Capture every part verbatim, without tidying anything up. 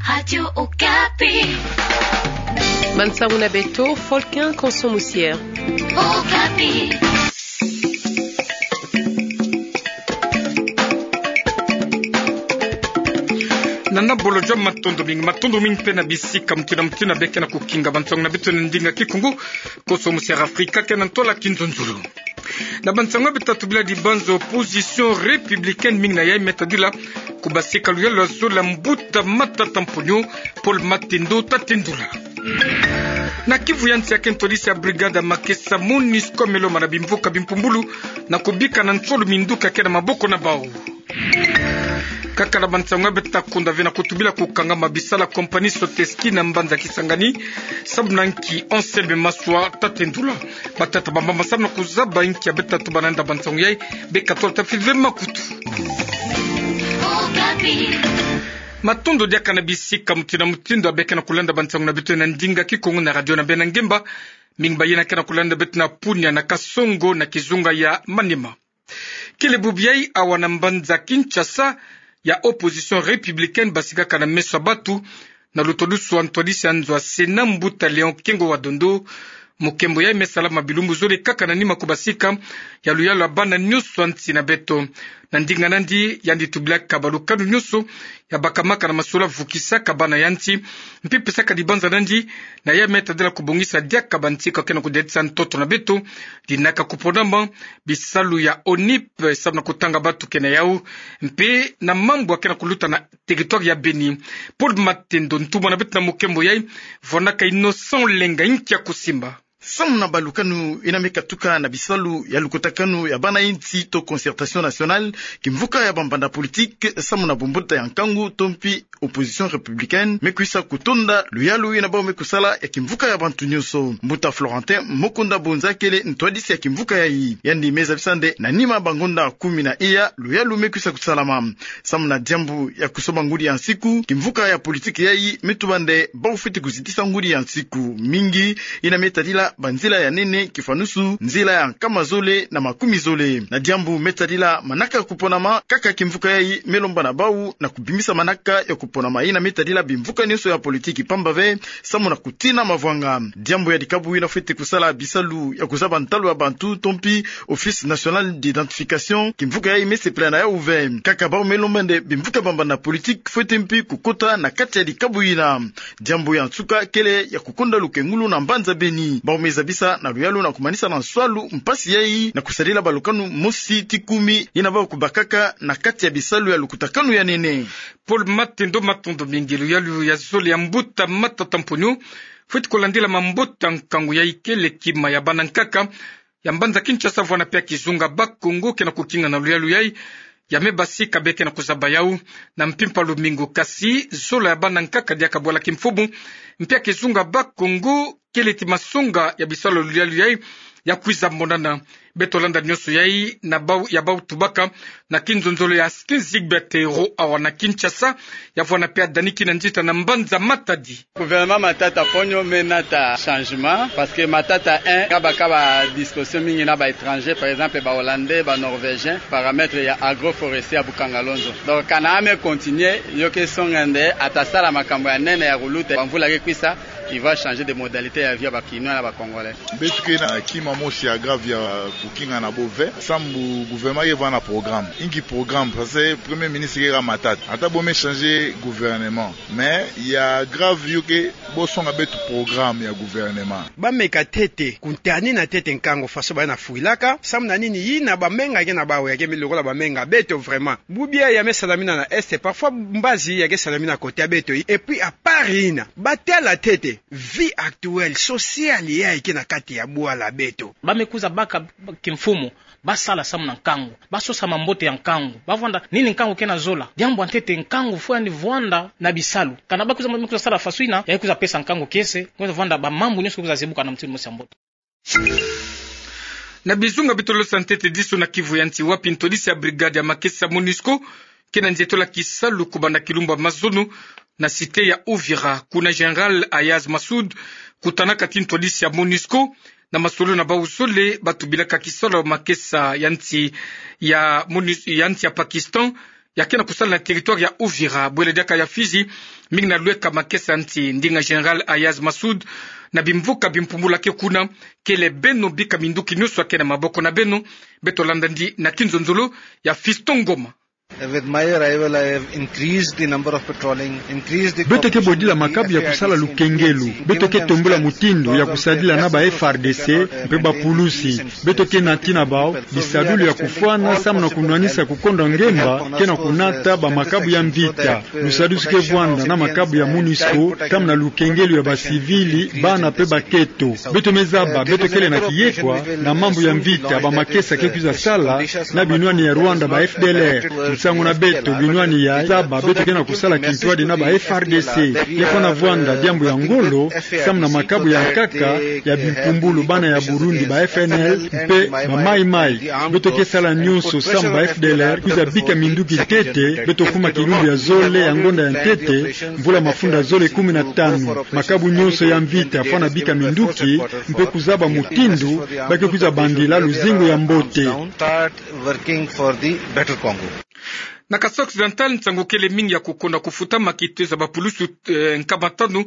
Radio Okapi. Bansango na beto, Folkin Konso Musier. Okapi. Nana Bolo Jom, matondo mingi, matondo mingi mpe na bisika mutindu na mutindu beka na kukinga bansango na beto na ndinga Kikongo. Konso Musier Afrika ke na ntola kinzonzolo. Na bansango ya beto tatu bila dibanza, opposition républicaine mingi na yai me tadila kubasika luyalu ya zole ya mbuta matata mponyo, Paul Matendo Tatendula. Na Kivu ya nsi, ya ke ntwadisi ya brigade ya makesa MONUSCO me lomba na bimvuka bimpumbulu na kubika na nsolo minduki ya ke na maboko na bau. Kaka na bansango ya beto ta kunda ve na kutubila kukangama bisalu ya compagnie Soteski na mbanza Kisangani, samu na nki Anselme Maswa Tatendula. Batata bambamba samu na kuzaba nki ya beto ta tubana nda bansango yai, beka tolo ta fidele makutu. Matondo diaka na bisika mutindu na mutindu beka na kulanda bansango na beto na ndinga Kikongo na radio na bena ngemba. Mingi ba yina ke na kulanda beto na Punia, na Kasongo, na kizunga ya Maniema. Kele bubu yai, awa na mbanza Kinshasa, ya opposition républicaine basikaka na meso ya batu, na lutwadusu ya ntwadisi ya nzo ya Sénat, mbuta Léon Kengo wa Dondo. Mukembo yai me salama bilumbu zole kaka na nima kubasika ya luyalu ya bana nyonso ya nsi na beto. Na ndinga nandi, yandi tubilaka balukanu nyonso ya bakamaka na masolo ya vukisaka bana ya nsi, mpe pesaka dibanza nandi na yai me tadila kubongisa diaka bantika ke na kudetisa ntoto na beto, dinaka kuponama, bisalu ya ONIP, samu na kutanga batu ke na yau, mpe na mambu ya ke na kuluta na territoire ya Beni. Paul Matendo, ntumwa na beto na mukembo yai, vwanaka Innocent Olenga, nki ya kusimba? Samu na balukanu yina me katuka na bisalu ya lukutakanu ya bana ya nsi to concertation nationale, kimvuka ya bambanda politique, samu na bumbuta ya nkangu to mpi opposition républicaine, me kwisa kutonda luyalu yina bau me kusala ya kimvuka ya bantu nyonso. Mbuta Florentin Mokunda Bonza kele ntwadisi ya kimvuka yai. Yandi me zabisa nde na nima bangonda kumi na iya, luyalu me kwisa kusalama. Samu na diambu ya kusomba ngudi ya nsiku, kimvuka ya politique yai me tuba nde bau fweti kuzitisa ngudi ya nsiku mingi, yina me tadila banzila ya nene, kifanusu nzila ya nkama zole na makumi zole. Na diambu me tadila manaka ya kuponama, kaka kimvuka yai me lomba na bau na kubimisa manaka ya kuponama yina me tadila bimvuka nyonso ya politique pamba ve, samu na kutina mavwanga. Diambu ya dikabu yina fweti kusala bisalu ya kuzaba ntalu ya bantu to mpi Office National d'Identification, kimvuka yai me sepela na yau ve. Kaka bau me lomba nde bimvuka bambanda politique fweti mpi kukota na kati ya dikabu yina. Diambu ya nsuka kele ya kukonda lukengulu na mbanza Beni. Bau me zabisa na luyalu na kumanisa na nswalu mpasi yai na kusadila balukanu mosi ti kumi yina bau kubakaka na kati ya bisalu ya lukutakanu ya nene. Paul Matendo, matondo mingi. Luyalu ya zole ya mbuta matata mponyo fweti kulandila mambote ya nkangu yai kele kima ya bana nkaka ya mbanza Kinshasa vwanda pia kizunga Bas-Congo ke na kukinga na luyalu yai. Ya me basika beka na kuzaba yau na mpimpa lumingu, kasi zola ya bana nkaka diaka bwala kimfumu, mpe ya kizunga Bas-Congo kele ti masonga ya bisalu ya luyalu yai ya kwiza monana. Beto landa nyonso yai na bau, ya bau tubaka na kinzonzolo ya Skin Zigbert Ro awa na Kinshasa, ya vwanda pia dani kina nzita na mbanza Matadi. Gouvernement Matata mponyo me nata changement, parce que Matata un, kaba kaba discussion mingi na ba étrangers, par exemple ba Hollandais, ba Norvégiens, paramètre ya agroforestier ya Bukangalonzo. Donc kana a me continuer, yo ke songa nde ata sala makambu ya nene ya kuluta, ba mvula ke kwisa, il va changer de modalité ya vie ya ba Kinois na ba Congolais. Beto ke na kima mosi ya grave ya kukinga na bo ve, samu gouvernement ke vanda na programme. Inki programme? Parce que Premier Ministre ke kaka Matata. Ata bo me changer gouvernement, mais ya grave yo ke bo songa beto programme ya gouvernement. Ba meka ntete, kuntani na ntete nkangu faso ba na fwilaka, samu na nini? Yina ba menga ke na bau ya ke me lokola ba menga beto vraiment. Bubu ya me salamina na Est, parfois mbazi ya ke salamina côté ya beto. Et puis à part yina, ba tala ntete vie actuelle, sociale yai ke na kati ya bwala beto. Ba me kwiza baka kimfumu, ba sala samu na nkangu, ba sosa mambote ya nkangu, ba vwanda nini nkangu ke na zola. Diambu ya ntete, nkangu faut yandi vwanda na bisalu. Kana ba kwiza, ba kwiza sala faso yina, ya kwiza pesa nkangu kiese, kwiza vwanda ba mambu nyonso kwiza zebuka na mutindu mosi ya mbote. Na bizunga bitolo sa ntete disu na Kivu ya nsi, wapi ntwadisi ya brigade ya makesa MONUSCO ke na nzietolo ya kisalu kubanda kilumbu ya mazono na cité ya Uvira, kuna Général Ayaz Massoud kutanaka ti ntwadisi ya MONUSCO, na masolo na bau zole ba tubilaka kisalu ya makesa ya nsi ya MONUS-, ya nsi ya Pakistan, ya ke na kusala na territoire ya Uvira, bwele diaka ya Fizi, mingi na lweka makesa nti, ndinga Général Ayaz Massoud, na bimvuka bimpumbulu ya ke kuna, kele beno bika minduki nyonso ya ke na maboko na beno, beto landa ndi na kinzonzolo ya Fiston Ngoma. With my arrival, I have increased the number of patrolling, increased the... Beto ke bodila makabu ya kusala lukengelo. Beto ke tombula mutindu ya kusadila na ba F R D C mpe bapulusi. Beto ke nati na bau bisadulu ya kufwana samu na kunwanisa kukonda ngemba ke na kunata ba makabu ya mvita. Lusadusu ke vwanda na makabu ya MONUSCO samu na lukengelo ya basivili, bana mpe baketo. Beto me zaba, beto kele na kiyekwa na mambu ya mvita, ba makesa ke kwiza sala na binwani ya Rwanda, ba F D L R. Nsangu na beto, binwani ya zaba, beto ke na kusala kintwadi na ba F R D C. Ya fwana vwanda diambu ya ngolo samu na makabu ya nkaka ya bimpumbulu, bana ya Burundi, ba F N L mpe ba Mai Mai. Beto ke sala nyonso samu ba F D L R kwiza bika minduki ntete. Beto kuma kilumbu ya zole ya ngonda ya ntete, mvula mafunda zole kumi na tanu. Makabu nyonso ya mvita fwana bika minduki mpe kuzaba mutindu ba ke kwiza bandila luzingu ya mbote. Start working for the better Congo. Na Kasaï Occidental, nsangu kele mingi ya kukonda kufutama, kitezo ya bapulusu, eh, nkama tanu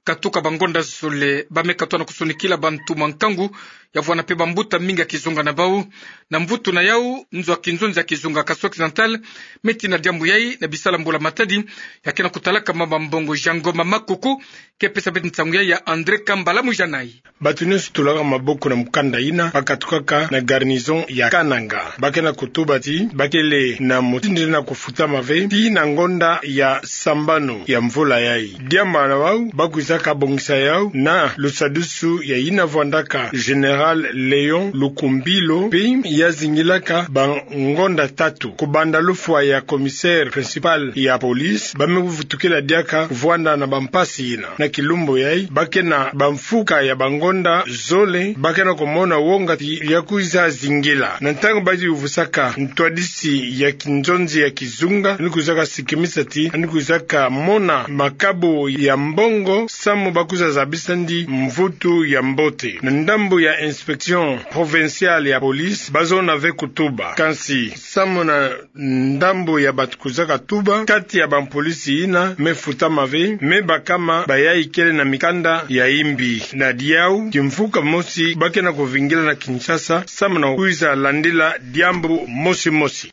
katuka bangonda zole. Ba me katoa na kusonikila bantu mwa nkangu ya vwanda mpe bambuta mingi ya kizunga na bau. Na mvutu na yau, nzo ya kinzonzi ya kizunga Kasaï Occidental me tina diambu yai na bisala mbula-matadi ya ke na kutalaka mama mbongo. Jean Ngoma Makoko ke pesa beto nsangu yai ya André Kambala Mujanai. Bato nyonso tulaka maboko na mukanda yina ba katukaka na garnison ya Kananga. Ba ke na kutuba ti ba kele na mutindu na kufutama ve tii na ngonda ya sambanu ya mvula yai. Diambu na bau ba kwizaka bongisa yau na lusadusu ya yina vwandaka Général Léon Lukumbilo, mpe ya zingilaka bangonda tatu. Kubanda lufwa ya commissaire principal ya police, ba me vutukila diaka vwanda na bampasi yina. Na kilumbu yai, ba ke na bamfuka ya bangonda zole, ba ke na kumona wonga ti ya kwiza zingila. Na ntangu ba yuvusaka ntwadisi ya kinzonzi ya kizunga, ni kwizaka sikimisa ti ni kwizaka mona makabu ya mbongo samu ba kwiza zabisa ndi mvutu ya mbote. Na ndambu ya inspection provinciale ya police, ba zona ve kutuba. Kansi samu na ndambu ya bato kwizaka tuba, kati ya bampolisi yina me futama ve, me bakama bayai kele na mikanda ya imbi. Na diau, kimfuka mosi ba ke na kuvingila na Kinshasa samu na kwiza landila diambu mosi mosi.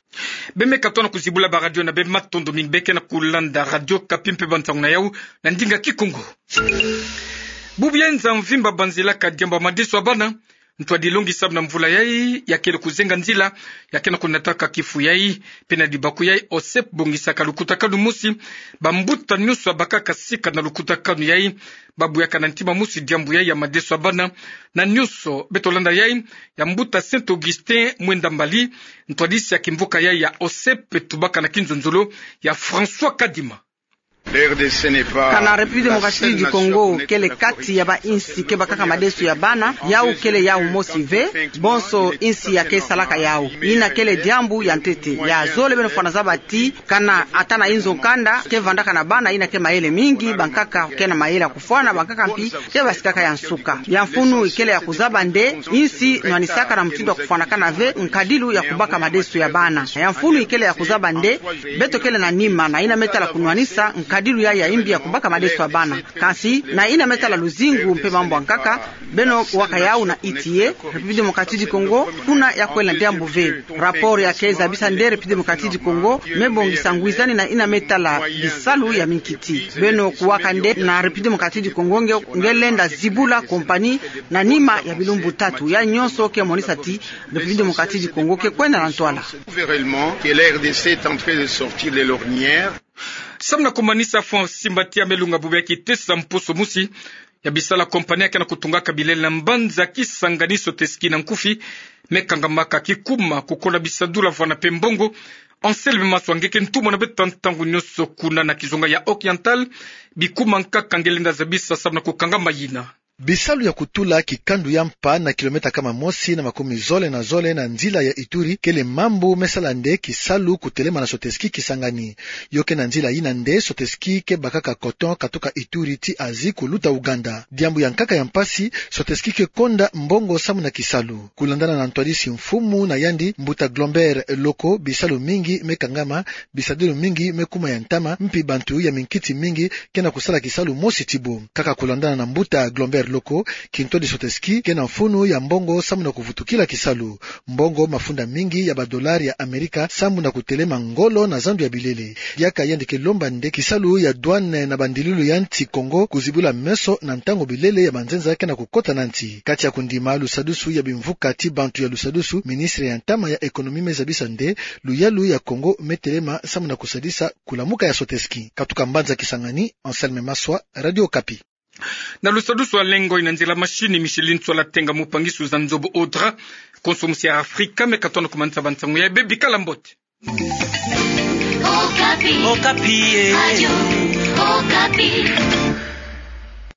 Be me katoa na kuzibula ba radio na beno, matondo mingi. Be ke na kulanda Radio Okapi mpe bansangu na yau na ndinga Kikongo. Bubu ya nza mvimba banzilaka diambu ya madeso ya bana, ntwadi longi samu na mvula yai, ya kele kuzenga nzila ya ke na kunataka kifu yai. Mpe na dibaku yai, OSEP bongisaka lukutakanu mosi, bambuta nyonso ya bakaka sika na lukutakanu yai, ba buyaka na ntima mosi diambu yai ya madeso ya bana. Na nyonso, beto landa yai ya mbuta Saint Augustin Mwenda Mbali, ntwadisi ya kimvuka yai ya OSEP, tubaka na kinzonzolo ya François Kadima. Kana République Démocratique du Congo kele kati ya bainsi ke bakaka madeso ya bana, yau kele yau mosi ve, bonso insi ya ke salaka yau. Yina kele diambu ya ntete. Ya zole beno fwana zaba ti, kana ata na inzo kanda ke vandaka na bana, yina ke mayele mingi, bankaka ke na mayele ya kufwana, bankaka mpi ke basikaka ya nsuka. Ya mfunu ikele ya kuzaba nde insi nwanisaka na mutindu ya kufwanakana ve nkadilu ya kubaka madeso ya bana. Ya mfunu ikele ya kuzaba nde beto kele na nima na yina me tala kunwanisa nkadilu yai ya imbi ya kubaka madeso ya bana. Kansi na yina me tala luzingu mpe mambu ya nkaka, beno kuwaka yau na iti ye, République Démocratique du Congo, kuna ya kwele na diambu ve. Rapport ya ke zabisa nde République Démocratique du Congo me bongisa ngwizani na yina me tala bisalu ya minkiti. Beno kuwaka nde na République Démocratique du Congo nge, nge lenda zibula compagnie na nima ya bilumbu tatu. Ya nyonso ke monisa ti République Démocratique du Congo ke kwenda na ntwala. Samu na kumanisa, Faustin Mbatiya me lunga bubu ya kiteso ya mposo mosi ya bisala compagnie ya ke na kutungaka bilele na mbanza Kisangani Sotesky na nkufi, me kangamaka kikuma kukola bisadula vwanda mpe mbongo. Anselme Maswa nge ke ntumwa na beto ntangu nyonso kuna na kizunga ya Oriental. Bikuma nkaka nge lenda zabisa samu na kukangama yina? Bisalu ya kutula kikandu ya mpa na kilomètre kama mosi na makumi zole na zole na nzila ya Ituri kele mambu me sala nde kisalu kutelema na Soteski Kisangani. Yo ke na nzila yina nde Soteski ke bakaka coton katuka Ituri tii Asie kuluta Ouganda. Diambu ya nkaka ya mpasi, Soteski ke konda mbongo samu na kisalu. Kulandana na ntwadisi mfumu na yandi, Mbuta Glombert Loko, bisalu mingi me kangama, bisadilu mingi me kuma ya ntama, mpi bantu ya minkiti mingi ke na kusala kisalu mosi ti bo. Kaka kulandana na Mbuta Glombert Loko, kintwadi Soteski ke na mfunu ya mbongo samu na kuvutukila kisalu. Mbongo mafunda mingi ya ba dollars ya Amerika samu na kutelema ngolo na zandu ya bilele. Diaka yandi ke lomba nde kisalu ya douane na bandilu ya nsi Kongo kuzibula meso na ntangu bilele ya manzenza ke na kukota na nsi. Kati ya kundima lusadusu ya bimvuka ti bantu ya lusadusu, ministre ya ntama ya économie me zabisa nde luyalu ya Kongo me telema samu na kusadisa kulamuka ya Soteski. Katuka mbanza Kisangani, Anselme Maswa, Radio Okapi. Na lusadusu wa lengo ina nzila mashini Micheline Sola Tenga, mupangisu za nzobo Audra, konso musi ya Afrika, me katona ku manza ba nsangu ya bebi, kala mbote. Okapi. Okapi, eh. Radio Okapi.